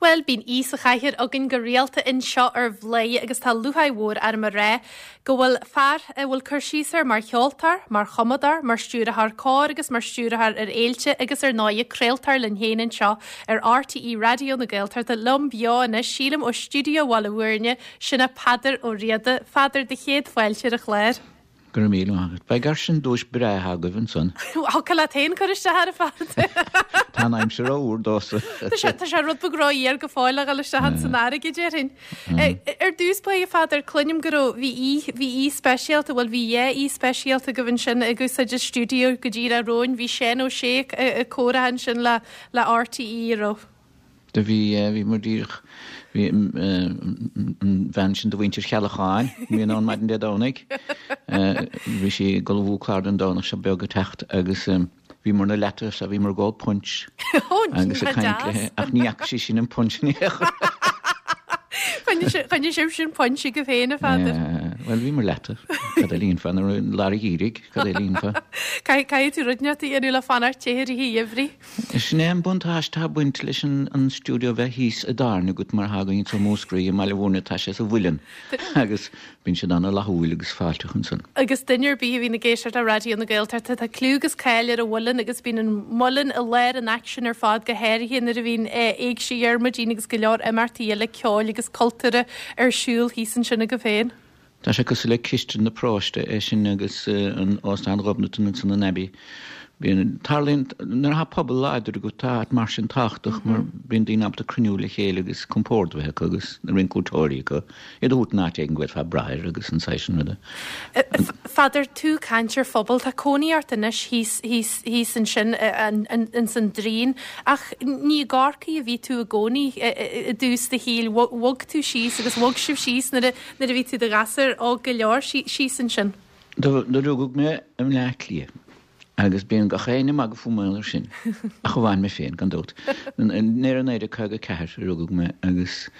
Bhuel, bíonn aoi sa chathaoir againn go rialta anseo ar Bhladhaire agus tá lúcháir mhór orm a rá go bhfuil fear a bhfuil cur síos air mar cheoltóir, mar chumadóir, mar stiúrthóir cóir agus mar stiúrthóir ar fhéilte agus ar ndóighe craoltóir linn féin anseo ar RTÉ Raidió na Gaeltachta liom beo anois, sílim ó stiúideo Bhaile Bhúirne, sin é Peadar Ó Riada. A Pheadair, do chéad fáilte ar an chlár. Go raibh míle maith agat. Beidh air sin duais breá agaibh ansan. Thiocfadh leat féin cur isteach air a Pheadair. Tá an aimsir ró-fhuar domhsa. Tá sé tá sé rud beag ró-fhuar go fóill a dhul isteach ins an fharraige, déarfainn. Ar dtús báire, a Pheadair, cluinim go raibh, bhí aoi, bhí aoi speisialta, bhuel bhí dhá aoi speisialta agaibh ansin ag úsáid an stiúideo go díreach romhainn. Bhí Seán Ó Sé ag comhrá ansin le le RTÉ, an raibh? Do bhí, bhí muid díreach, bhí an bhean sin de mhuintir Cheallacháin, a bhíonn ann maidin Dé Domhnaigh, bhí sí ag ullmhú clár don Domhnach seo beag ag teacht agus bhíomar 'na leataobh so bhíomar ag ól punch agus ag caint léi ach ní fhaca sí sin an punch in aon chor. Choinnigh sibh sin punch agaibh féin, a Pheadair. Bhuel, bhíomar leataobh. Cad eile a dhéanfá nuair i lár an gheimhridh, cad eile a dhéanfá? Caithfidh tú rud inteacht a dhéanamh le fanacht te i rith an gheimhridh. Sin é an buntáiste atá ag baint leis an stiúideo bheith thíos i dtábhairne agat mar atá againn anseo i Múscraí i mBaile Bhúirne, tá sé sa mhuileann agus bíonn siad ana-fhlaithiúil agus fáilteach ansan. Agus duine ar bith a bhíonn ag éisteacht le Raidió na Gaeltachta, tá cliú agus cáil ar an mhuileann agus bíonn an muileann i lár an aicsin ar fad, go háirithe nuair a bhíonn Éigse Dhiarmuidín agus go leor imeachtaí eile ceoil agus cultúrtha ar siúl thíos ansin agaibh féin. Tá sé cosúil le cistin na paróiste, é sin agus an Óstán Ghobnatan ansan an Abbey. Bíonn, tarlaíonn, nuair atá pobal láidir agat tá áit mar sin tábhachtach mar bíonn daoine ábalta cruinniú le chéile agus compord a bheith acu agus na rinceoirí acu, iad a thabhairt in áit éigin go bhféadfá brath air agus an saghas sin ruda. Pheadair, tú ag caint ar phobal, tá cónaí ort anois thíos, thíos, thíos ansin ins an Draein ach ní i gCorcaigh a bhí tú i gcónaí i dtús do shaoil, bhog tú síos agus bhog sibh síos nuair a, Nuair a bhí tú i do ghasúr óg go leor síos ansin. Do rugadh mé i mBleá Cliath agus bíonn gach éinne ag magadh fúm mar gheall air sin, ach amháin mé féin, gan dabht. I 1954 a rugadh mé agus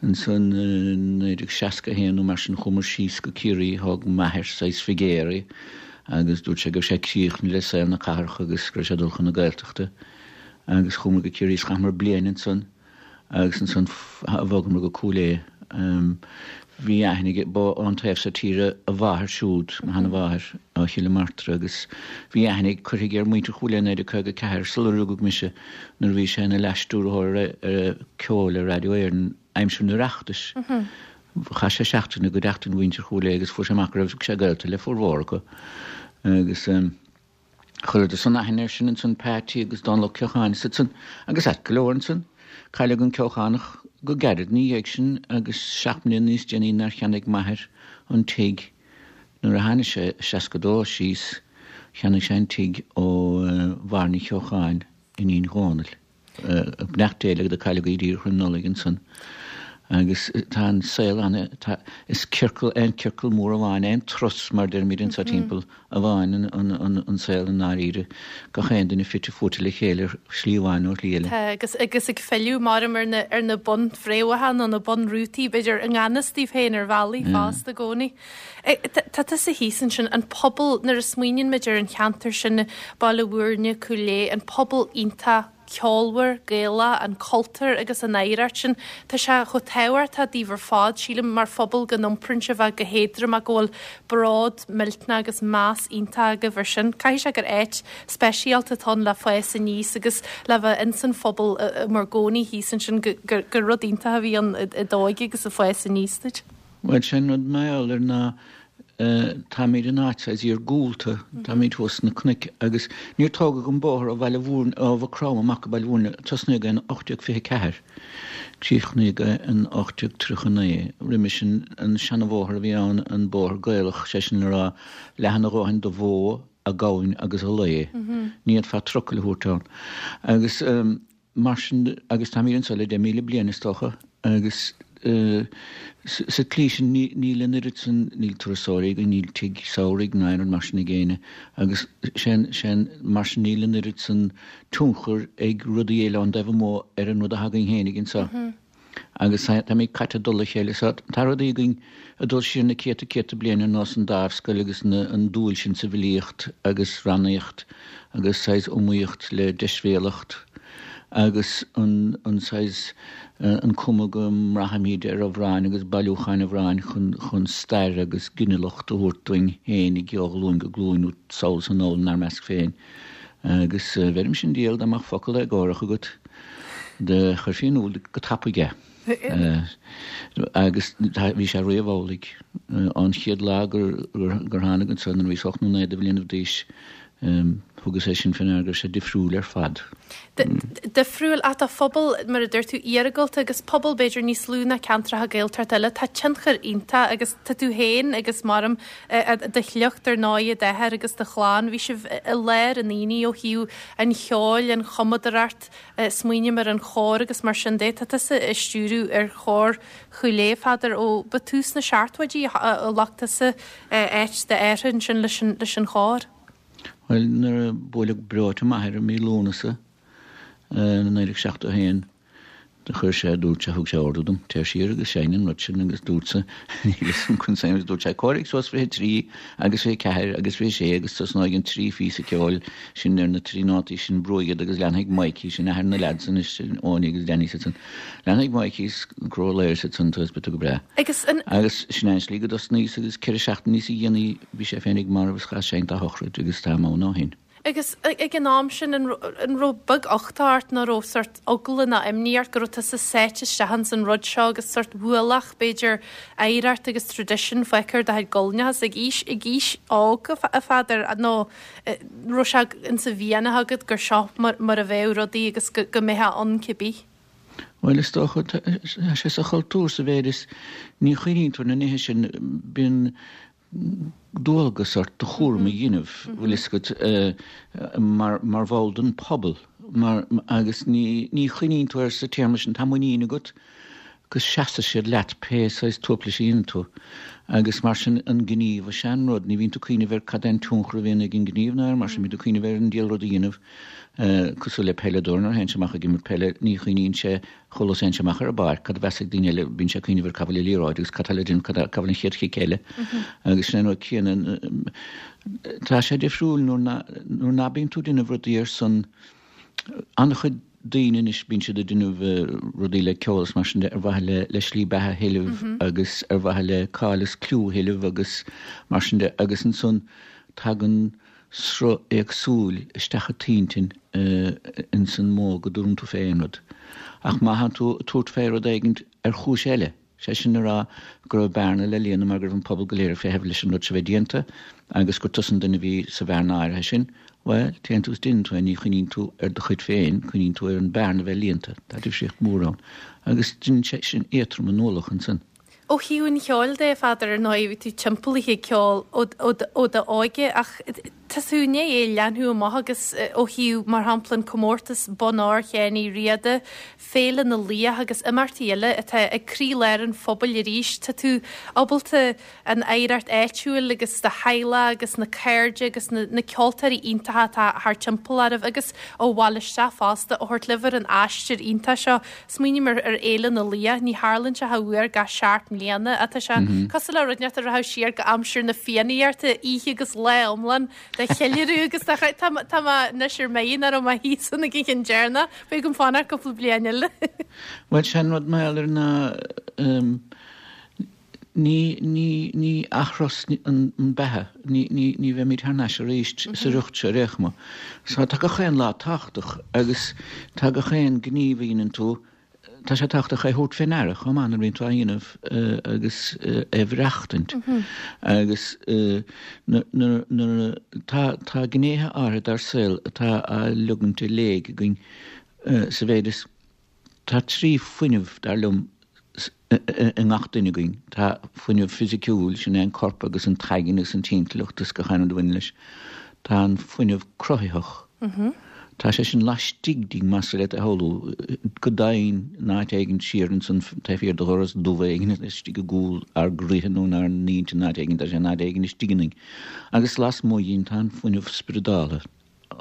ansan i 1961 nó mar sin chuamar síos go Ciarraí, thóg m'athair saghas figéaraí agus dúirt sé go raibh sé críochnaithe le saol na cathrach agus go raibh sé ag dul chun na Gaeltachta agus chuamar go Ciarraí is chaitheamar bliain ansan. Agus ansan bhogamar go Cúil Aodha. Bhí aithne aige, ba ón taobh so tíre a mháthair siúd, mo sheana-mháthair, ó Chill na Martra, agus bhí aithne curtha aige ar mhuintir Chúil Aodha i 1954, sular rugadh mise, nuair a bhí sé ina leas-stiúrthóir ar ceoil ar Radio Éireann aimsir an Oireachtais. Chaith sé seachtain i gcuideachtain mhuintir Chúil Aodha agus fuair sé amach go raibh sé gaolta le formhór acu. Agus. Chuireadar san aithne air sin ansan, Peaití agus Dónal Ó Ceocháin is iad san, agus ait go leor ansan. Cailleadh an Ceochánach go gairid ina dhiaidh sin agus 7 mbliana níos déanaí nuair cheannaigh m'athair an tigh nuair a tháinig sé i 62 síos, cheannaigh sé an tigh ó Mháire Ní Cheocháin, iníon Dhónaill. Beannacht Dé léi do cailleadh í díreach roim Nollaig ansan. Agus tá an saol ana, tá, is ciorcal, aon ciorcal mór amháin, aon turas mar deirimid anso timpeall amháin an, an, an, an saol i ndáiríre. Gach aon duine fite fuaite le chéile ar shlí amháin nó ar shlí eile. Tá, agus, agus ag filleadh maram ar na, ar na bunfhréamhacha nó na bunrútaí, b'fhéidir, i ngan fhios daoibh féin ar bhealaí fosta i gcónaí. Tá tusa thíos ansin, an pobal, nuair a smaoiníonn muid ar an cheantar sin, Baile Bhúirne, Cúil Aodha, an pobal iontach ceolmhar, Gaelach, an cultúr agus an oidhreacht sin, tá sé chomh tábhachtach daoibh ar fad, sílim, mar phobal go n-iompraíonn sibh é go héadrom ach go bhfuil bród millteanach agus meas iontach agaibh ar sin. Caithfidh sé gur áit speisialta atá ann le fás aníos agus le bheith ins an phobal i bhur gcónaí thíos ansin, gur rud iontach a bhí ann i d'óige agus ag fás aníos duit. Bhuel, sé an rud mar gheall air ná táimid in áit saghas iargúlta, táimid thuas sna cnoic agus níor tógadh an bóthar ó Bhaile Bhúirne, ó Mhaigh Chromtha amach go Baile Bhúirne, tosnaíodh é in 1824, críochnaíodh é in 1839. Roimhe sin, an seanabhóthar a bhí ann, an bóthar Gaelach, sé sin le rá, leathan a dhóthain do bhó, a gamhain agus a lao. Ní fhéadfá trucail a thabhairt ann. Agus. Mar sin, agus táimid anseo le 10,000 bliain, is dócha, agus sa tslí sin níl an oiread sin, níl turasóirí againn, níl tigh samhraidh ná aon rud mar sin ag éinne, agus sin, mar sin níl an oiread sin tionchar ag rudaí eile ón dtaobh amuigh ar an rud atá againn fhéinig anseo. Agus táimid caite i dtoll a chéile. So tá rudaí againn ag dul siar na céadta céadta bliain ar nós an dámhscoil agus an dúil sin sa bhfilíocht agus rannaíocht agus saghas iomaíocht le deisbhéalacht. Agus an saghas, an cuma go mbraithimid ar amhráin agus bailiúcháin amhráin chun stair agus ginealacht a thabhairt dúinn fhéinig ó ghlúin go glúin nó sall is anall inár measc féin. Agus bheirimse an diabhal dá mbeadh focal éagórach agat, do chuirfí in iúl go tapaidh é. Agus bhí sé riamh amhlaidh. Ón chéad lá gur tháinig anso nuair a bhíos ocht nó naoi de bhlianaibh d'aois, thugas é sin fé ndeara go raibh sé difriúil ar fad. Difriúil ach tá phobal, mar a dúirt tú, iargúlta agus pobal b'fhéidir níos lú ná ceantracha Gaeltachta eile. Tá tionchar iontach agus tá tú féin agus maram do shliocht ar ndóigh, d'athair agus do chlann, bhí sibh i lár an aonaigh ó thaobh an cheoil, an chumadóireacht, Smaoiním ar an chór agus mar sin de. Tá tusa ag stiúradh ar chór Chúil Aodha, a Pheadair, ó ba tús na seachtóidí a ghlac tusa áit d'athar ansin leis an chór. Bhuel, nuair a buaileadh breoite m'athair i mí Lúnasa i 1971, do chuir sé, dúirt sé, thug sé ordú dom, téir siar agus seinn an rud sin agus dúrtsa, níl fhios agam conas agus dúirt sé, comhairigh suas 23 agus 24 agus 26 agus tosnóidh an trí phíosa ceoil sin ar na trí nótaí sin, brúigh iad agus leanfaidh Mikey, sin athair na leaids anois, Eoiní agus Danny siad san, leanfaidh Mikey is Cró Laoire siad san agus beidh tú go breá. Agus an. Agus sin é an slí go dtosnaíos agus ceithre seachtainí níosa dhéanaí bhí sé féinig marbh is chas seinnte dá shochraid agus táim ann ó shin. Agus ag an am sin, an raibh beag-uchtach ort nó raibh sórt eagla nó imní ort go raibh tusa sáite isteach ins an rud seo agus sórt ualach, b'fhéidir, oidhreacht agus traidisiún fágtha ar do chuid guailneacha ag aois, ag aois óg, a Pheadair, nó raibh sé insa mhianach agat gur seo mar a bheadh rudaí agus go mbeifeá ann cibé? Bhuel, is dócha, tá sé sa chultúr sa mhéid is ní chuimhníonn tú ar na nithe sin, bíonn dualgas ort do chúram a dhéanamh, bhfuil fhios agat, mar, mar bhall den phobal, mar, agus ní, ní chuimhníonn tú air sa téarma sin, tá muinín agat go seasfaidh siad leat pé saghas tuaiplis a dhéanann tú. Agus mar sin, an gníomh is ea an rud, ní bhíonn tú ag cuimhneamh ar cad é an tionchar a bhíonn ag an ngníomh ná ar mar sin, bíonn tú ag cuimhneamh ar an diabhal rud a dhéanamh, cosúil le peileadóir nuair a théann sé amach ag imirt peile, ní chuimhníonn sé chomh luath is a théann sé amach ar an bpáirc, cad a bheas ag daoine eile, bíonn sé ag cuimhneamh ar cá bhfuil an liathróid agus cad tá le déanamh, cad, cá bhfuil an chéad chic eile. Agus sin é an rud céanna, tá sé difriúil nuair ná, nuair ná bíonn tú ag déanamh rudaí ar son an-chuid daoine anois, bíonn siad ag déanamh rudaí le ceol is mar sin de ar mhaithe le, le slí beatha a thuilleamh agus ar mhaithe le cáil is cliú a thuilleamh agus mar sin de agus ansan tagann sruth éagsúil isteach i t'intinn ins an modh go dtabharann tú fé aon rud. Ach má thánn tú ag tabhairt fé rud éigint ar chúis eile, sé sin a rá go raibh bearna le líonadh mar go raibh an pobal go léir ag feitheamh leis an rud seo bheith déanta agus gur tusa an duine a bhí sa bhearna áirithe sin, bhuel, téann tú is déanann tú é, ní chuimhníonn tú ar do chuid féin, cuimhníonn tú ar an bearna a bheith líonta. Tá difríocht mhór ann. Agus déanann sé sin éadrom an ualach ansan. Ó thaobh an cheoil de, a Pheadair, ar ndóigh, bhí tú timpeallaithe ag ceol ó d'óige ach tá tú i ndiaidh é a leathnú amach agus ó thaobh, mar shampla, an comórtas Bonn Óir Sheáin Uí Riada, Féile na Laoich agus imeachtaí eile atá ag croílár an phobail arís, tá tú ábalta an oidhreacht áitiúil agus do theaghlach agus na cairde agus na ceoltóirí iontacha atá thar timpeall oraibh agus ó bhaile isteach fosta a thabhairt libh ar an aistear iontach seo. Smaoiním ar Fhéile na Laoich, ní tharlaíonn sé ach uair gach seacht mbliana ach tá sé cosúil le rud inteacht a rachadh siar go aimsir na Fiannaíochta, oíche agus lá iomlán de cheiliúradh agus de chraic. Tá tá mé anois ar mire nach raibh mé thíos ann ag an cheann deireanach, beidh agam fanacht cúpla bliain eile. Bhuel, sé an rud mar gheall air ná Ní, ní, ní athrós an beatha, ní, ní, ní bheimid thar n-ais arís sa riocht seo ar aon chuma. So tá gach aon lá tábhachtach agus tá gach aon gníomh a dhéanann tú, tá sé tábhachtach é a thabhairt fé ndeara chomh maith nuair a bhíonn tú á dhéanamh agus é a bhreachtaint. Agus nuair, nuair, tá, tá gnéithe áirithe dár saol atá á leogaint i léig againn sa mhéid is, Tá trí fuinneamh, dar liom, i ngach duine againn. Tá fuinneamh fisiciúil, sin é an corp agus an t-aigne agus an t-intleacht is gach aon rud a bhaineann leis. Tá an fuinneamh cruthaitheach. Tá sé sin laistigh dínn, más féidir leat é a shamhlú, go domhain in áit éigin siar ansan taobh thiar de dhoras dubh éigin istigh i gcúl ár gcroíthe nó inár n-intinn, in áit éigin, tá sé in áit éigin istigh ionainn. Agus lasmuigh dhínn tá an fuinneamh spioradáltha.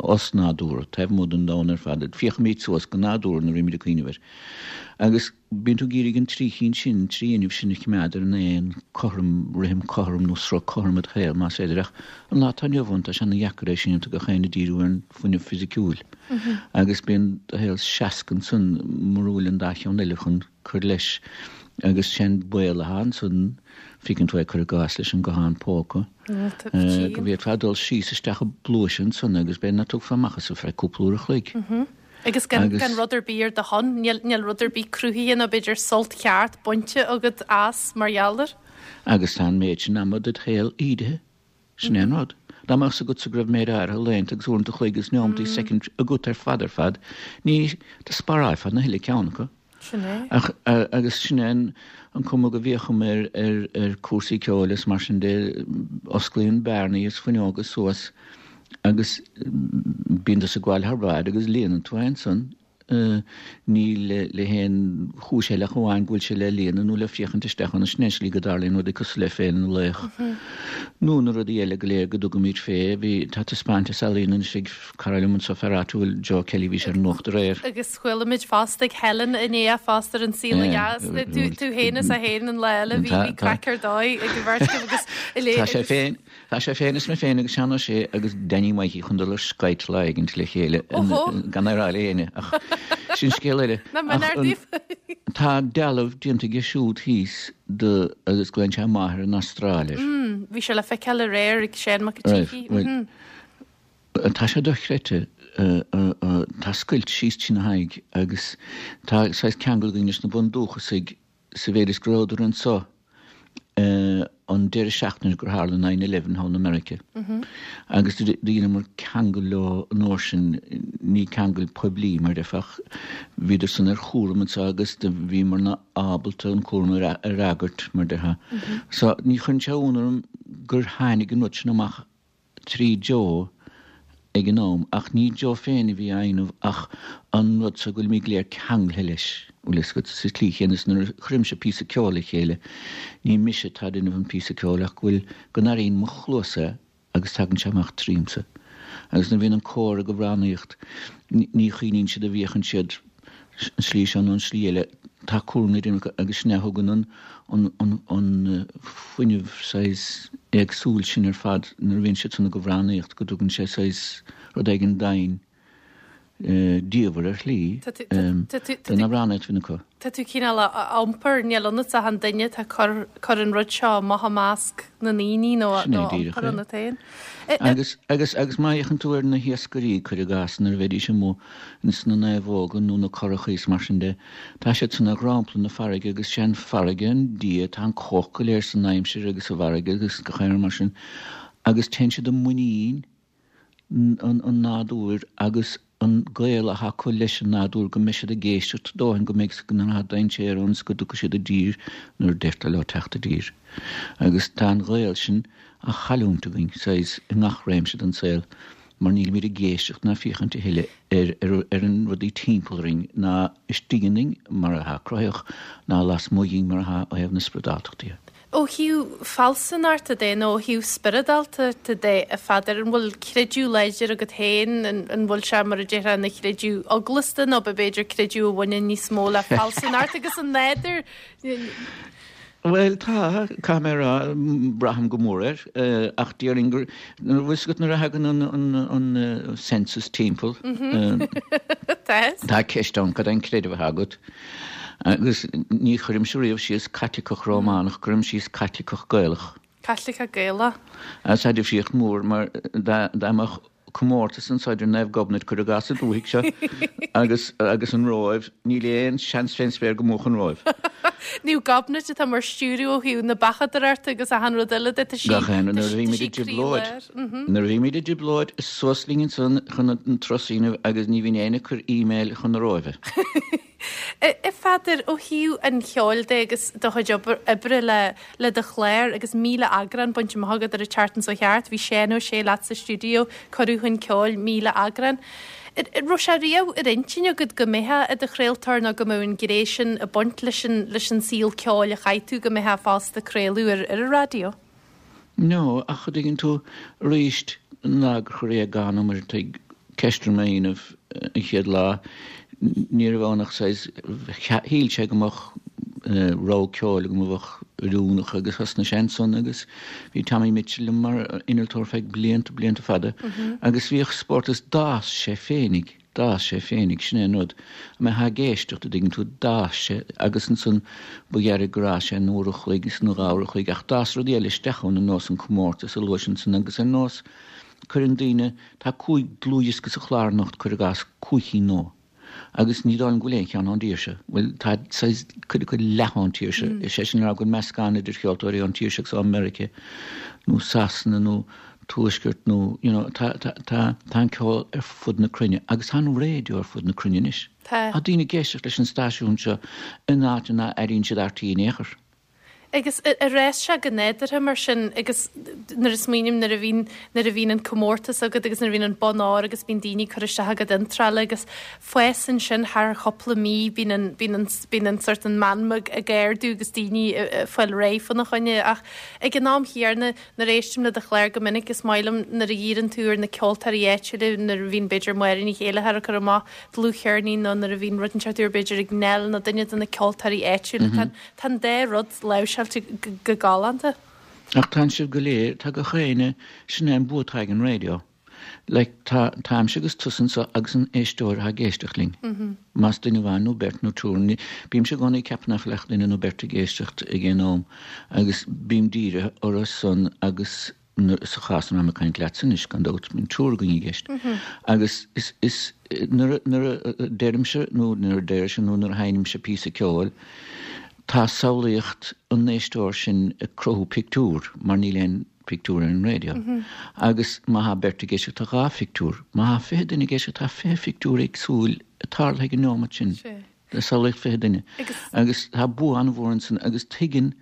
osnádúrtha, taobh amuigh den domhan ar fad. Féachaimid suas go nádúrtha nuair a bhímid ag cuimhneamh air. Agus bíonn tú ag iarraidh an trí chinn sin, an trí fhuinneamh sin a choimeád ar an aon cothrom, rithim cothrom nó sruth cothrom i do shaol, más féidir. Ach an lá atá inniu ann, tá sé ana dheacair é sin, tá gach éinne ag díriú ar an fuinneamh fisiciúil. Agus bíonn do shaol seasc ansan mura bhfuil an dá cheann eile chun cur leis. Agus sé'n baol atá ansan, feiceann tú é cuir i gcás leis an guthán póca, go bhféadfá dul síos isteach i bpluais ansan agus b'fhéidir ná tiocfá amach as ar feadh cúpla uair a chloig. Agus gan rud ar bith ar do shon, níl rud ar bith cruthaithe nó b'fhéidir sult ceart bainte agat as mar gheall air. Agus tá an méid sin ama ded shaol ídithe. Sin é an rud. Dá mbeadh 's agatsa go raibh méid áirithe laethanta agus uaireanta a chloig agus neomataí soicind agat ar fad ar fad, ní, do spárálfá na huile ceann acu. Sin é. Ach, agus sin é an cuma go bhféachaim ar, ar, ar cúrsaí ceoil is mar sin de, osclaíonn bearnaí is fuinneoga suas agus bíonn tusa ag gabháil thar bráid agus líonann tú é ansan. Ní le haon chúis eile ach amháin go bhfuil sé le líonadh nó le féachaint isteach ann. Sin é an slí go dtarlaíonn rudaí cosúil le Féile na Laoch nó na rudaí eile go léir go dtugaimid fé. Bhí, tá taispeántas ealaíon anois ag cara liom anseo, fear áitiúil, Joe Kelly, bhí sé ar an nuacht aréir. Agus chuala muid fosta ag Helen inné fosta ar An Saol Ó Dheas. Tú féin is é féin an lá eile, bhí craic ar dóigh ag an bheirt agaibh agus. Tá sé féin, Tá sé féin is mé féin agus Seán Ó Sé agus Danny Mikey chun dul ar Skype lá éigint le chéile gan é a rá le éinne ach sin scéal eile. Tá dealbh déanta aige siúd thíos de agus glaonn sé Máthair an Astráil air. Bhí sé le feiceáil aréir ag Seán Mac an tSíthigh. Tá sé dochreidte. Tá scoilt síos trína haghaidh agus tá saghas ceangal againn leis na bundúchasaigh sa mhéid is go rabhadar anso an deireadh seachtaine gur tharla nine eleven thall i Meiriceá agus do dheineamar ceangal leo an uair sin, ní ceangal poiblí mar déarfá ach bhíodar san ar chúram anso agus do bhíomarna ábalta an cúram a fhreagairt mar déarfá. So ní chuireann sé ionadh orm gur tháinig an rud sin amach trí Joe ag an am, ach ní Joe féin a bhí á dhéanamh ach an rud so go bhfuilimid go léir ceanglaithe leis, bhfuil fhios agat, sa tslí chéanna is nuair a chuirimse píosa ceoil le chéile, ní mise atá ag déanamh an píosa ceoil ach go bhfuil, go n-airíonn mo chluasa é agus tagann sé amach tríomsa. Agus nuair a bhíonn an cór ag amhránaíocht, ní chuimhníonn siad a bhféachann siad an slí seo nó an slí eile, tá cúram le déanamh acu agus sin é a thugann an an fuinneamh saghas éagsúil sin ar fad nuair a bhíonn siad san ag amhránaíocht, go dtugann sé saghas rud éigin domhain diamhair ar shlí den amhránaíocht a bhíonn acu. Tá tú cineál á iompar, níl ionat ach an duine atá ag cur an rud seo amach i measc na ndaoine nó á iompar ionat féin. Agus, agus, agus má fhéachann tú ar na hiascairí, cuir i gcás, nuair a bheidís amuigh ins na naomhóga nó na curachaí is mar sin de, tá siad san ar dhrompla na farraige agus sé an farraige an dia, tá an cumhacht go léir san aimsir agus sa bhfarraige agus gach aon rud mar sin agus téann siad i muinín an nádúir agus an gaol atá acu leis an nádúr go mbeidh siad ag éisteacht dóthain go mbeidh go mbeidh dainséar ann is go dtiocfaidh siad i dtír nuair a deirtear leo teacht i dtír. Agus tá an gaol sin á chailliúint againn, saghas, i ngach réimse den saol mar nílimid ag éisteacht ná féachaint a thuilleadh ar ar an rudaí timpeall orainn ná istigh ionainn mar atá cruthaitheach ná lasmuigh dhínn mar atá ó thaobh na spioradáltachta de. Ó thaobh fealsúnachta de nó ó thaobh spioradáltachta de, a Pheadair, an bhfuil creideamh láidir agat féin? An bhfuil sé, mar a déarfá, ina chreideamh eaglasta nó b'fhéidir creideamh a bhaineann níos mó le fealsúnacht agus an nádúr? Bhuel, tá, caithfidh mé a rá, braithim go mór air, ach déarfainn gur, bhfuil fhios agat nuair a thagann an census timpeall, tá ceist ann, cad é an creideamh atá agat? Agus ní chuirimse riamh síos Caitliceach Rómánach, cuirim síos Caitliceach Gaelach. Caitliceach Gaelach. Agus tá difríocht mhór mar dá mbeadh comórtas anso idir Naomh Gobnait, cuir i gcás sa dúthaigh seo, agus agus an Róimh, níl aon seans fén spéir go mbuafadh an Róimh. Naomh Gobnait atá mar stiúradh ó thaobh na beachadóireachta agus achan rud eile de, tá sí Gach aon rud nuair a bhímid i dtrioblóid. Nuair a bhímid i dtrioblóid, is suas linn ansan chun an turas a dhéanamh agus ní bhíonn éinne ag cur email chun na Róimhe. A Pheadair, ó thaobh an cheoil de agus do chuid oibre le le do chlár agus 1,000 eagrán bainte amach agat ar an tseachtain seo thart, bhí Seán Ó Sé leat sa stiúideo, cuireadh chun ceoil 1,000 eagrán. An raibh sé riamh ar intinn agat go mbeifeá i do chraoltóir nó go mbeadh an ghné sin ag baint leis an leis an saol ceoil a chaith tú, go mbeifeá fosta ag craoladh ar ar an raidió? No, ach an dtuigeann tú, arís, an lá gur chuir Aodhagán mar a tuig. ceist orm é a dhéanamh an chéad lá, ní raibh ann ach saghas, shíl sé go mbeadh rogha ceoil agam a bheadh oiriúnach agus thosnaigh sé ansan agus bhí Tommy Mitchell liom mar innealtóir feadh blianta, blianta fada agus bhíodh spórt is d'fhás sé féinig, d'fhás sé féinig, sin é an rud. An mbeifeá ag éisteacht, a dtuigeann tú, d'fhás sé agus ansan ba ghearr gur fhás sé in uair a chloig is nó dhá uair a chloig ach d'fhás rudaí eile isteach ann ar nós an comórtas a luais ansan agus ar nós Cuireann daoine, tá 5 dlúthdhiosca sa chlár anocht, cuir i gcás, 5 chinn nua. Agus ní dóigh liom go bhfuil aon cheann ón dtír seo. Bhuel, tá saghas, cuid acu leath ón tír seo. Is é sin le rá go bhfuil meascán idir cheoltóirí ón tír seo agus ó Meiriceá nó Sasana nó Tuaisceart nó, you know, tá, tá, tá, tá an ceol ar fud na cruinne agus tá an raidió ar fud na cruinne anois. Tá. Tá daoine ag éisteacht leis an stáisiún seo in áit nach airíonn siad RTÉ in aon chor. Agus ar fhás sé go nádúrtha mar sin agus nuair a smaoiním nuair a bhíonn, nuair a bhíonn an comórtas agat agus nuair a bhíonn an bonn óir agus bíonn daoine ag cur isteach a gcuid iontrála agus fásann sin thar chúpla mí, bíonn an, bíonn an, bíonn an sort an meanma ag ardú agus daoine ag fáil réidh fána choinne ach ag an am chéanna nuair a éistim le do chlár go minic is maith liom nuair a dhíríonn tú ar na ceoltóirí áitiúla nuair a bhíonn b'fhéidir Máire Ní Chéileachair ag cur amach dlúthcheirnín nó nuair a bhíonn rud inteacht úr b'fhéidir ag Nell nó duine de na ceoltóirí áitiúla. Tá Tá an dá rud láimhseáilte go galánta. Ach tá sibh go léir, tá gach éinne, sin é an bua atá ag an raidió. Like, tá, táimse agus tusa anseo agus an éisteoir atá ag éisteacht linn. Más duine amháin nó beirt nó triúr, ní, bímse i gcónaí ag ceapadh nach bhfuil ach duine nó beirt ag éisteacht ag aon am agus bím dírithe orthu san agus sa chás ina bhfuilim ag caint leatsa anois, gan dabht, bíonn triúr againn i gceist. Agus is, is, nuair a, nuair a deirimse nó nuair a deirise nó nuair a sheinnimse píosa ceoil, tá samhlaíocht an éisteoir sin ag cruthú pictiúr, mar níl aon phictiúr ar an raidió. Agus má thá beirt ag éisteacht, tá dhá phictiúr. Má thá 20 duine ag éisteacht, tá 20 phictiúr éagsúil ag tarlú ag an neomat sin. Le samhlaíocht 20 duine. Agus tá bua an-mhór ansan agus tuigeann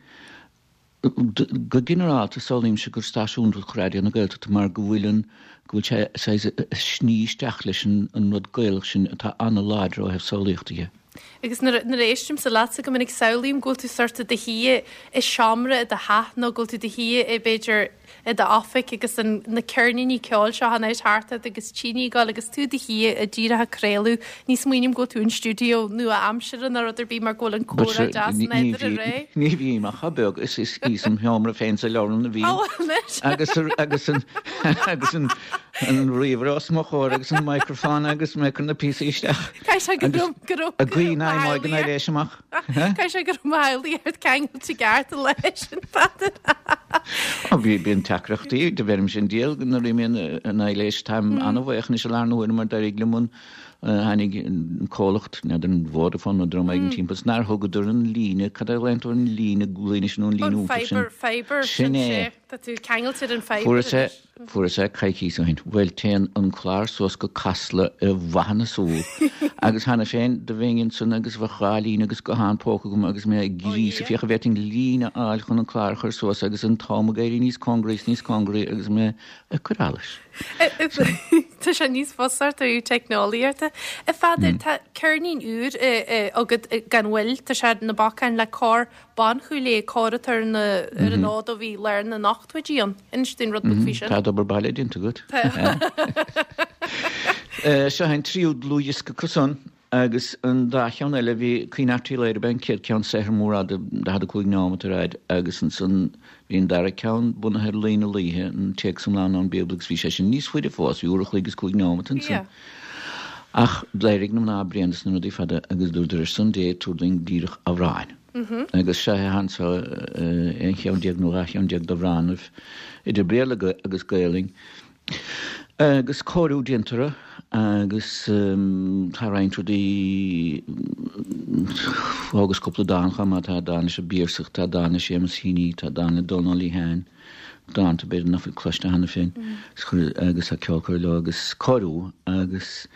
Go ginearálta, samhlaímse gur stáisiún iontach Raidió na Gaeltachta mar go bhfuil an, go bhfuil sé saghas ag sní isteach leis an an rud Gaelach sin atá an-láidir ó thaobh samhlaíochta dhe. Agus nuair a, nuair a éistimse leatsa go minic samhlaím go bhfuil tú sort i do shuí i seomra i do theach nó go bhfuil tú i do shuí i b'fhéidir i d'oifig agus an, na ceirníní ceoil seo in áit thart ort agus tine ag gabháil agus tú i do shuí díreach ag craoladh. Ní smaoiním go bhfuil tú in stiúideo nua-aimseartha nó rud ar bith mar go bhfuil an comhrá deas nádúrtha réidh. Ní bhím ach chomh beag is is í sa sheomra féin sa leabharlann a bhím. Ó, anois! Agus agus an agus an an ríomhaire os mo chomhair agus an microphone agus mé ag cur na píosaí isteach. Caithfidh sé go raibh go raibh Ag guí na n-aimigh an éis amach. Caithfidh sé go raibh mo shamhlaíocht ort ceangailte i gceart leis an Pheadair. Ó bhí bíonn deacrachtaí do bheirimse an diabhal nuair a imíonn an aibhléis. Táim an-bhuíoch anois i láthair na huaire mar d'éirigh liom an tháinig an comhlacht, n'fheadar an Vodafone nó dream éigin timpeall is nár thugadar an líne, cad é a ghlaonn tú ar an líne gloine sin nó an líne An iontach sin? fibre, fibre, Sin sin é. sé. Tá tú ceangailte ar an fibre Fuaireas é, anois. Fuaireas é coicíos ó shin. Bhuel, téann an clár suas go Casla i bhfathadh na súl. Agus cheana féin, do bheinn ansan agus bheadh dhá líne agus guthán póca agam agus mé ag gríosadh féach an bhféadfainn líne a fháil chun an clár a chur suas agus an t-am ag éirí níos cóngaraí is níos cóngaraí agus mé ag cur allais. Tá sé níos fusa ort ó thaobh teicneolaíochta. A Pheadair, tá ceirnín úr agat gan mhoill, tá sé ar na bacáin le cór Ban Chúil Aodha, cór atá ar an ar an fhód ó bhí lár na n-ochtóidí ann. Inis dúinn rud beag faoi sin. Tá d'obair baile déanta agat. Seo é an tríú dlúthdhiosca acu san agus an dá cheann eile bhí Caoineadh Art Uí Laoghaire ab ea an chéad cheann saothar mór fhada 45 neomat ar fhaid agus ansan bhí an dara ceann bunaithe ar Laoi na Laoithe, an téacs iomlán ón Bíobla agus bhí sé sin níos faide fós, bhí uair a chloig is cúig neomat ansan. Ach d'éirigh na mná bréan des na rudaí fada agus dúradar ar son Dé tabhair dúinn díreach amhráin. Agus seo é anso aon cheann déag nó dhá cheann déag d'amhránaibh, idir Béarla agus Gaelainn, agus cóiriú déanta orthu agus tá roinnt rudaí, thógas cúpla dán chomh maith, tá dán leis an bPiarsach, tá dán le Séamus Heaney, tá dán le Dónal Ó Liatháin, dánta b'fhéidir nach bhfuil cloiste cheana féin, agus tá ceol curtha leo agus cóiriú agus.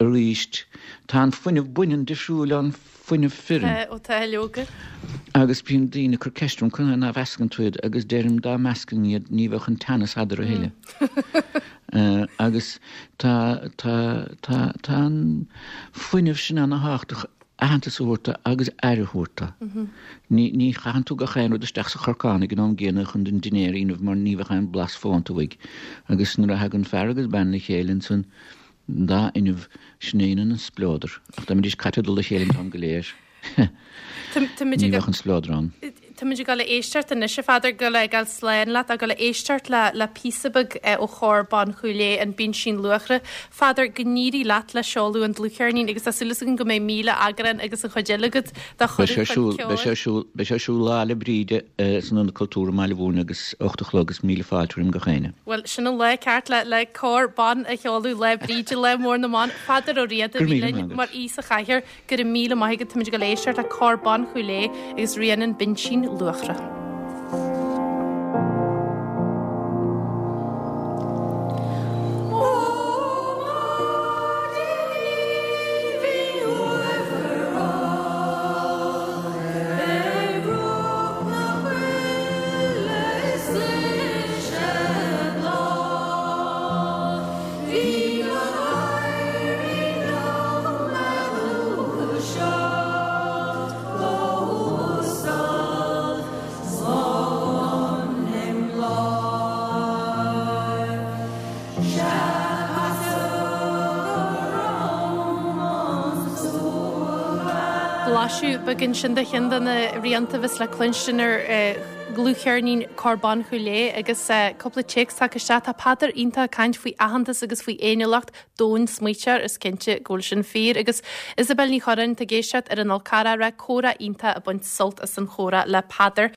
Arís, tá an fuinneamh baineann difriúil ón fuinneamh fireann. Tá, ó tá, leoga. Agus bíonn daoine ag cur ceist orm conas ná mheascann tú iad agus deirim dá meascainn iad ní bheadh an teannas eadarthu a thuilleadh. Agus tá, tá, tá, tá an fuinneamh sin ana-thábhachtach aitheantas a thabhairt dó agus aire a thabhairt dó. Ní, ní chaitheann tú gach aon rud isteach sa chorcán ag an am gcéanna chun an dinnéar a dhéanamh mar ní bheadh aon blas fónta uaidh. Agus nuair a thagann fear agus bean le chéile ansan. An dá fhuinneamh, sin a dhéanann an spleodar. Ach dá mbeidís caite i dtoll a chéile an t-am go léir, ní bheadh an spleodar ann. Táimid ag dul a éisteacht anois, a Pheadair, ag dul a fhágáil slán leat, ag dul a éisteacht le le píosa beag ó Chór Ban Chúil Aodha, An Binsín Luachra. Pheadair, go n-éirí leat le seoladh an dlúthcheirnín agus tá súil againn go mbeidh 1,000 eagrán agus an chuid eile agat dá Beidh sé ar siúl, beidh sé ar siúl, beidh sé ar siúl Lá 'le Bríde san Ionad Cultúrtha i mBaile Mhúirne agus 8 a chlog agus míle fáilte roim gach éinne. Bhuel, sin an lá ceart le le cór ban a sheoladh, Lá Bríde, lá mór na mban. Peadar Ó Riada a bhí linn mar aoi sa chathaoir. Go raibh míle maith agat, táimid ag dul éisteacht le Cór Ban Chúil Aodha agus rian an Binsín Luachra. Blaiseadh beag ansin de cheann de na rianta a bheas le cluinstin ar dhlúthcheirnín Cór Ban Chúil Aodha agus cúpla téacs tagtha isteach. Tá Peadar iontach ag caint faoi aitheantas agus faoi fhéiniúlacht domhain-smaointeoir, is cinnte go bhfuil sin fíor. Agus Isabel Ní Chorráin, tá ag éisteacht ar an Fhál Carrach, comhrá iontach ag baint sult as an chomhrá le Peadar.